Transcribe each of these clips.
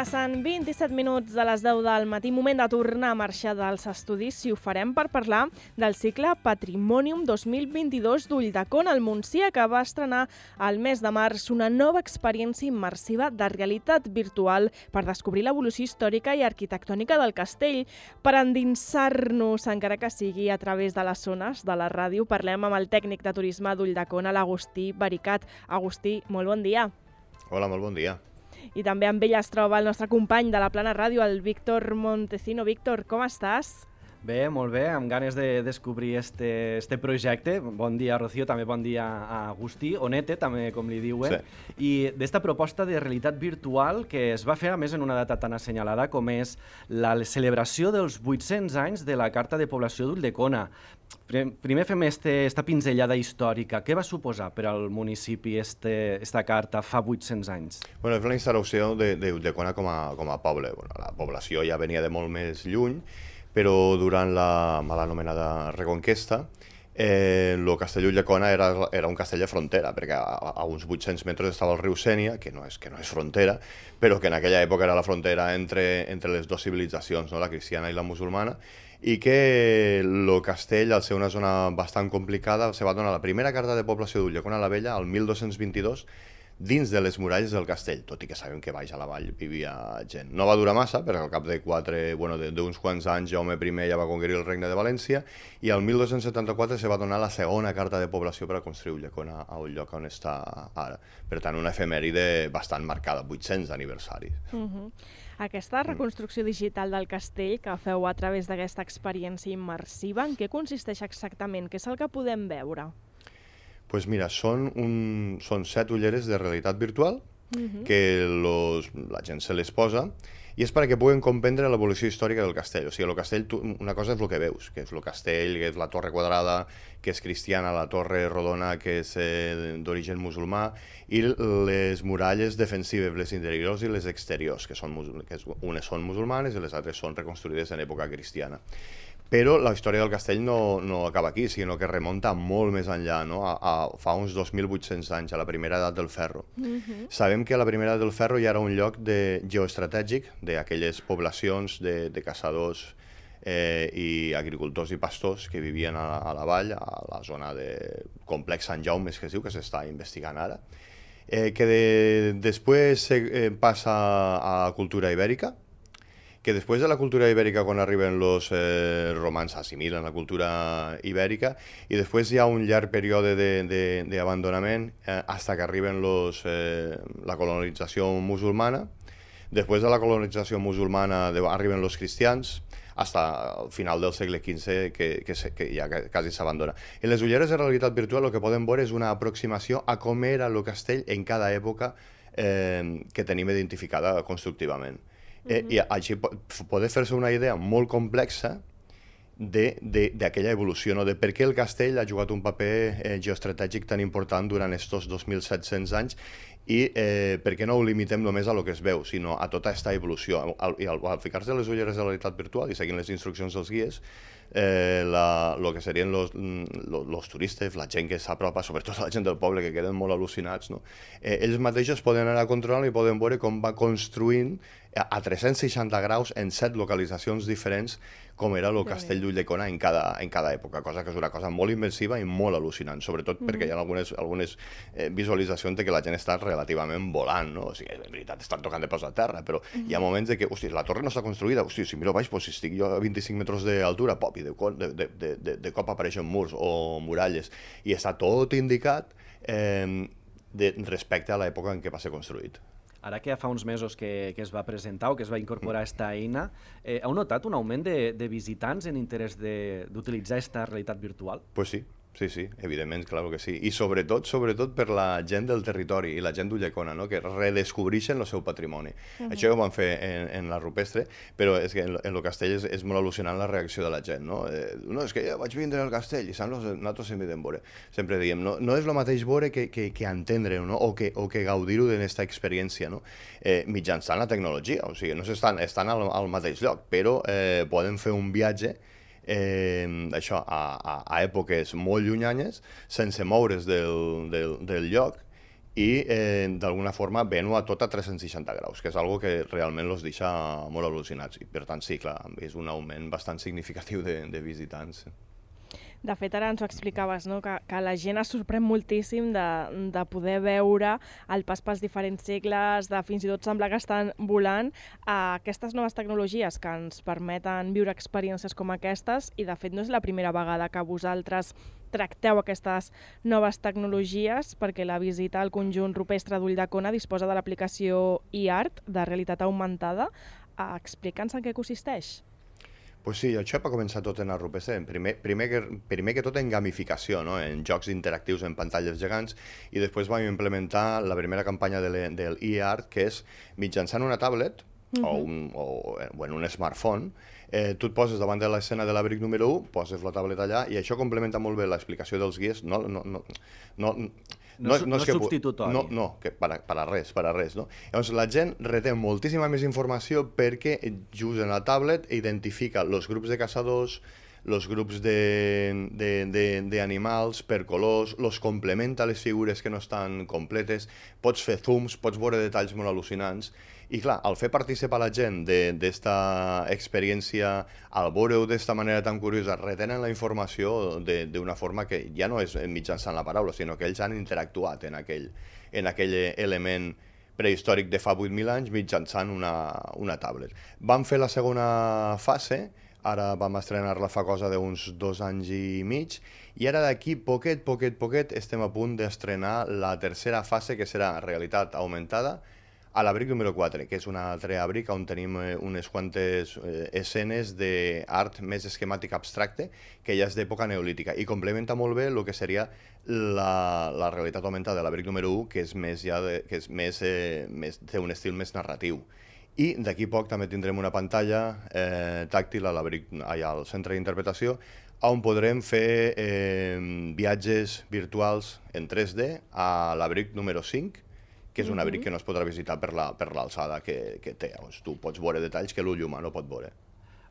Passen 27 minuts de les 10 del matí, moment de tornar a marxar dels estudis, si ho farem per parlar del cicle Patrimonium 2022 d'Ulldecona al Montsià, que va estrenar al mes de març una nova experiència immersiva de realitat virtual per descobrir l'evolució històrica i arquitectònica del castell. Per endinsar-nos, encara que sigui a través de les zones de la ràdio, parlem amb el tècnic de turisme d'Ulldecona, l'Agustí Baricat. Agustí, molt bon dia. Hola, molt bon dia. I també amb ell es troba el nostre company de la Plana Ràdio, el Víctor Montecino. Víctor, com estàs? Bé, molt bé, amb ganes de descobrir este projecte. Bon dia, Rocío, també bon dia a Agustí, Onete, també com li diuen. Sí. I d'esta proposta de realitat virtual que es va fer, a més, en una data tan assenyalada com és la celebració dels 800 anys de la Carta de Població d'Ulldecona. Primer fem esta pinzellada històrica. Què va suposar per al municipi esta carta fa 800 anys? Bueno, és la instauració d'Ulldecona com a poble. Bueno, la població ja venia de molt més lluny, però durant la mal anomenada Reconquesta, el castell d'Ulldecona era un castell de frontera, perquè a uns 800 metres estava el riu Sénia, que no és frontera, però que en aquella època era la frontera entre les dues civilitzacions, no? La cristiana i la musulmana, i que el castell, al ser una zona bastant complicada, se va donar la primera carta de població d'Ulldecona la Vella al 1222, dins de les muralles del castell, tot i que sabem que baix a la vall vivia gent. No va durar massa, perquè al cap d'uns quants anys Jaume I ja va conquerir el regne de València, i al 1274 se va donar la segona carta de població per a construir Ulldecona al lloc on està ara. Per tant, una efemèride bastant marcada, 800 aniversaris. Aquesta reconstrucció digital del castell que feu a través d'aquesta experiència immersiva, en què consisteix exactament? Què és el que podem veure? Pues mira, són 7 ulleres de realitat virtual que la gent se les posa i és perquè puguen comprendre l'evolució històrica del castell. O sigui, el castell, una cosa és el que veus, que és el castell, que és la torre quadrada, que és cristiana, la torre rodona, que és d'origen musulmà, i les muralles defensives, les interiors i les exteriors, que unes són musulmanes i les altres són reconstruïdes en època cristiana. Però la història del castell no acaba aquí, sinó que remunta molt més enllà, no? Fa uns 2.800 anys, a la primera edat del ferro. Sabem que la primera edat del ferro ja era un lloc geoestratègic d'aquelles poblacions de caçadors i agricultors i pastors que vivien a la vall, a la zona de complex Sant Jaume, que es diu, que s'està investigant ara, que després passa a la cultura ibèrica, que després de la cultura ibèrica, quan arriben els romans, assimilen la cultura ibèrica, i després hi ha un llarg període d'abandonament fins que arriben la colonització musulmana. Després de la colonització musulmana arriben els cristians, fins al final del segle XV, que ja quasi s'abandona. En les ulleres de realitat virtual el que podem veure és una aproximació a com era el castell en cada època que tenim identificada constructivament. I així poder fer-se una idea molt complexa d'aquella evolució, de per què el castell ha jugat un paper geoestratègic tan important durant aquests 2.700 anys i per què no ho limitem només a lo que es veu, sinó a tota aquesta evolució. I al ficar-se les ulleres de realitat virtual i seguint les instruccions dels guies, el que serien els turistes, la gent que s'apropa, sobretot la gent del poble, que queden molt al·lucinats, no? Ells mateixos poden anar controlant i poden veure com va construint a 360 graus en 7 localitzacions diferents com era el castell d'Ulldecona en cada època, cosa que és una cosa molt immersiva i molt al·lucinant, sobretot perquè hi ha algunes visualitzacions de que la gent està relativament volant, no? O sigui, en veritat estan tocant de peus a terra, però hi ha moments de que, hosti, la torre no està construïda, hosti, si miro baix, si estic jo a 25 metres d'altura, pop, i de cop apareixen murs o muralles, i està tot indicat respecte a l'època en què va ser construït. Ara que ja fa uns mesos que es va presentar o que es va incorporar aquesta eina, heu notat un augment de visitants en interès d'utilitzar aquesta realitat virtual? Pues sí. Sí, evidentment, clar que sí. I sobretot per la gent del territori i la gent d'Ulldecona, no? Que redescobreixen el seu patrimoni. Això ho van fer en la rupestre, però és que en el castell és molt al·lucinant la reacció de la gent, no? No, és que jo vaig vindre al castell i nosaltres sempre podem veure. Sempre diem, no és el mateix veure que entendre-ho, no? O que gaudir-ho d'aquesta experiència, no? Mitjançant la tecnologia, o sigui, no estan al mateix lloc, però poden fer un viatge a èpoques molt llunyanyes, sense moure's del lloc, i d'alguna forma ven-ho a tot a 360 graus, que és algo que realment els deixa molt al·lucinats. I per tant, sí, clar, és un augment bastant significatiu de visitants. De fet, ara ens ho explicaves, no? que la gent es sorprèn moltíssim de poder veure el pas pels diferents segles, de fins i tot semblar que estan volant aquestes noves tecnologies que ens permeten viure experiències com aquestes, i de fet no és la primera vegada que vosaltres tracteu aquestes noves tecnologies, perquè la visita al conjunt rupestre d'Ulldecona disposa de l'aplicació eArt de realitat augmentada. Explica'ns en què consisteix. Pues sí, això va començar tot en el rupestre. Primer que tot en gamificació, no? En jocs interactius en pantalles gegants, i després vam implementar la primera campanya del eArt, que és mitjançant una tablet o en un smartphone, tu et poses davant de l'escena de l'abric número 1, poses la tablet allà, i això complementa molt bé l'explicació dels guies. No és substitutori. No, que per a res, no? Llavors, la gent retén moltíssima més informació perquè just en la tablet identifica els grups de caçadors, els grups d'animals per colors, els complementa les figures que no estan completes, pots fer zooms, pots veure detalls molt al·lucinants. I clar, al fer participar la gent d'esta experiència, al veure-ho d'esta manera tan curiosa, retenen la informació d'una forma que ja no és mitjançant la paraula, sinó que ells han interactuat en aquell element prehistòric de fa 8.000 anys mitjançant una tablet. Vam fer la segona fase, ara vam estrenar-la fa cosa d'uns 2 anys i mig, i ara d'aquí poquet estem a punt d'estrenar la tercera fase, que serà realitat augmentada, a l'abric número 4, que és un altre abric on tenim unes quantes escenes d'art més esquemàtic abstracte, que ja és d'època neolítica, i complementa molt bé el que seria la realitat augmentada de l'abric número 1, que és té un estil més narratiu. I d'aquí poc també tindrem una pantalla tàctil al centre d'interpretació, on podrem fer viatges virtuals en 3D a l'abric número 5, que és un abric que no es podrà visitar per l'alçada que té. Tu pots veure detalls que l'ull humà no pot veure.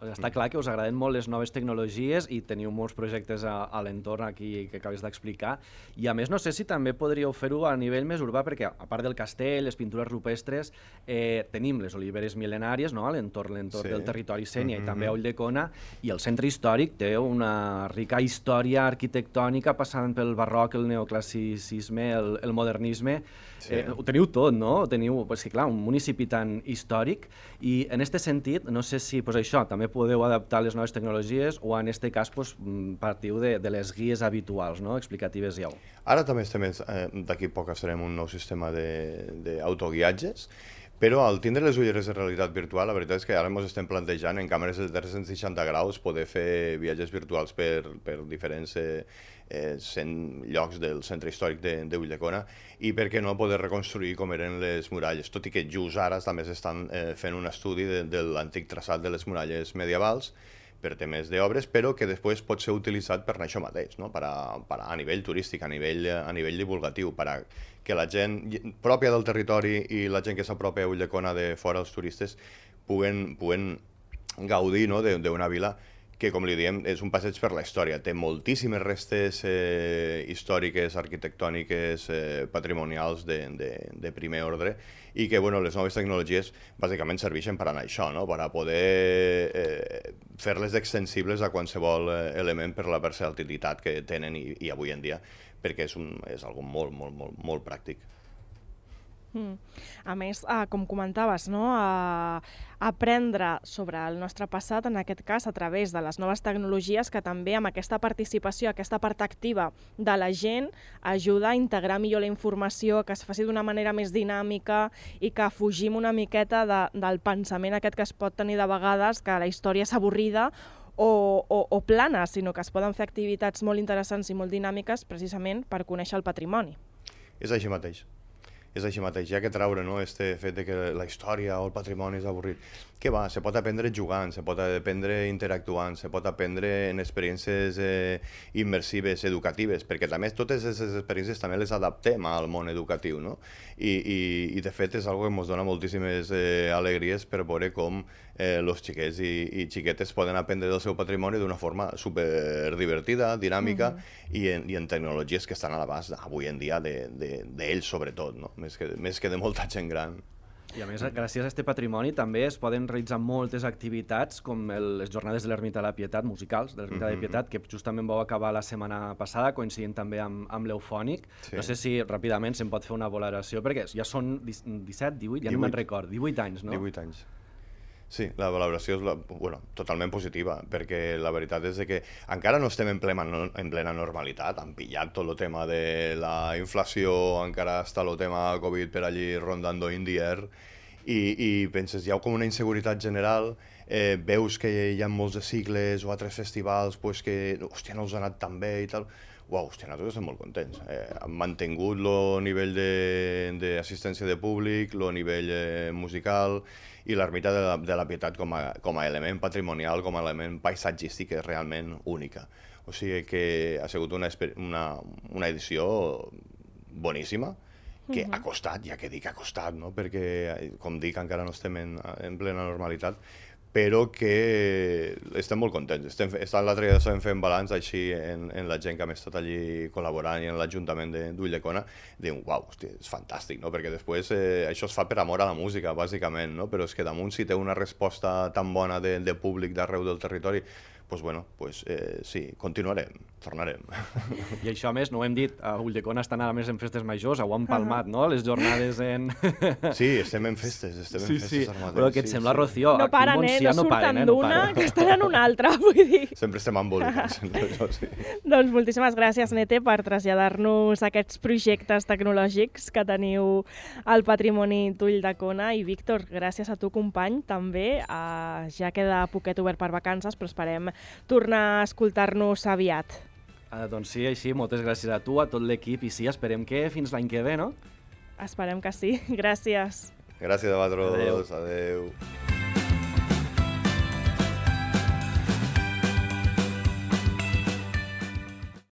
Està clar que us agraden molt les noves tecnologies i teniu molts projectes a l'entorn aquí que acabes d'explicar. I a més, no sé si també podríeu fer-ho a nivell més urbà, perquè a part del castell, les pintures rupestres, tenim les oliveres mil·lenàries, no? a l'entorn del territori Sénia i també a Ulldecona, i el centre històric té una rica història arquitectònica passant pel barroc, el neoclassicisme, el modernisme. Ho teniu tot, no? Teniu, clar, un municipi tan històric, i en aquest sentit, no sé si això també podeu adaptar les noves tecnologies o en aquest cas partiu de les guies habituals, no? Explicatives ja. Ara també d'aquí poc estarem un nou sistema d'autoguiatges, però al tindre les ulleres de realitat virtual, la veritat és que ara ens estem plantejant en càmeres de 360 graus poder fer viatges virtuals per diferents llocs del centre històric d'Ulldecona, i per què no poder reconstruir com eren les muralles, tot i que just ara també s'estan fent un estudi de l'antic traçat de les muralles medievals per temes d'obres, però que després pot ser utilitzat per això mateix, no? A nivell turístic, a nivell divulgatiu, que la gent pròpia del territori i la gent que s'apropa a Ulldecona de fora, els turistes, puguen gaudir d'una vila que, com li diem, és un passeig per la història. Té moltíssimes restes històriques, arquitectòniques, patrimonials de primer ordre, i que les noves tecnologies bàsicament serveixen per anar a això, per a poder fer-les extensibles a qualsevol element per la versatilitat que tenen i avui en dia, perquè és algo molt pràctic. A més, com comentaves, aprendre sobre el nostre passat, en aquest cas a través de les noves tecnologies, que també amb aquesta participació, aquesta part activa de la gent, ajuda a integrar millor la informació, que es faci d'una manera més dinàmica i que fugim una miqueta del pensament aquest que es pot tenir de vegades, que la història és avorrida o plana, sinó que es poden fer activitats molt interessants i molt dinàmiques precisament per conèixer el patrimoni. És així mateix. és així mateix, ja que traure, no?, este fet de que la història o el patrimoni és avorrit. Què va? Se pot aprendre jugant, se pot aprendre interactuant, se pot aprendre en experiències immersives, educatives, perquè també totes aquestes experiències també les adaptem al món educatiu, no? I de fet és una que ens dona moltíssimes alegries per veure com els xiquets i xiquetes poden aprendre del seu patrimoni d'una forma super divertida, dinàmica i en tecnologies que estan a l'abast avui en dia d'ells sobretot, no? Més que de molta gent gran. I a més, gràcies a aquest patrimoni també es poden realitzar moltes activitats com les jornades de l'Ermita de la Pietat, musicals de l'Ermita de la Pietat, que justament vau acabar la setmana passada, coincidint també amb l'Eufònic. Sí. No sé si ràpidament se'n pot fer una valoració, perquè ja són 17, 18, ja no me'n record, 18 anys, no? 18 anys. Sí, la valoració és totalment positiva, perquè la veritat és que encara no estem en plena normalitat, han pillat tot el tema de la inflació, encara està el tema Covid per allí rondando in the air, i penses, hi ha com una inseguretat general, veus que hi ha molts de cicles o altres festivals que, hòstia, no us ha anat tan bé i tal. Uau, hòstia, nosaltres estem molt contents. Han mantingut el nivell d'assistència de públic, el nivell musical i l'Ermita de la Pietat com a element patrimonial, com a element paisatgístic és realment única. O sigui que ha sigut una edició boníssima, que ha costat, ja que dic ha costat, no? Perquè, com dic, encara no estem en plena normalitat, però que estem molt contents. L'altre dia estem fent balanç així en la gent que hem estat allí col·laborant i en l'Ajuntament d'Ulldecona, diuen, uau, hosti, és fantàstic, no? Perquè després això es fa per amor a la música, bàsicament, no? Però és que damunt si té una resposta tan bona de públic d'arreu del territori, doncs sí, continuarem, tornarem. I això, a més, no ho hem dit, a Ulldecona estan ara més en festes majors, ho han palmat, no?, les jornades en... Sí, estem en festes, Sí, però què et sembla, Rocío? No paren, no surten d'una, que estan en una altra, vull dir. Sempre estem embolicats, això sí. Doncs moltíssimes gràcies, Nete, per traslladar-nos aquests projectes tecnològics que teniu al Patrimoni d'Ulldecona. I, Víctor, gràcies a tu, company, també. Ja queda poquet obert per vacances, però esperem tornar a escoltar-nos aviat. Doncs sí, així, moltes gràcies a tu, a tot l'equip, i sí, esperem que fins l'any que ve, no? Esperem que sí. Gràcies. Gràcies a vosaltres. Adéu.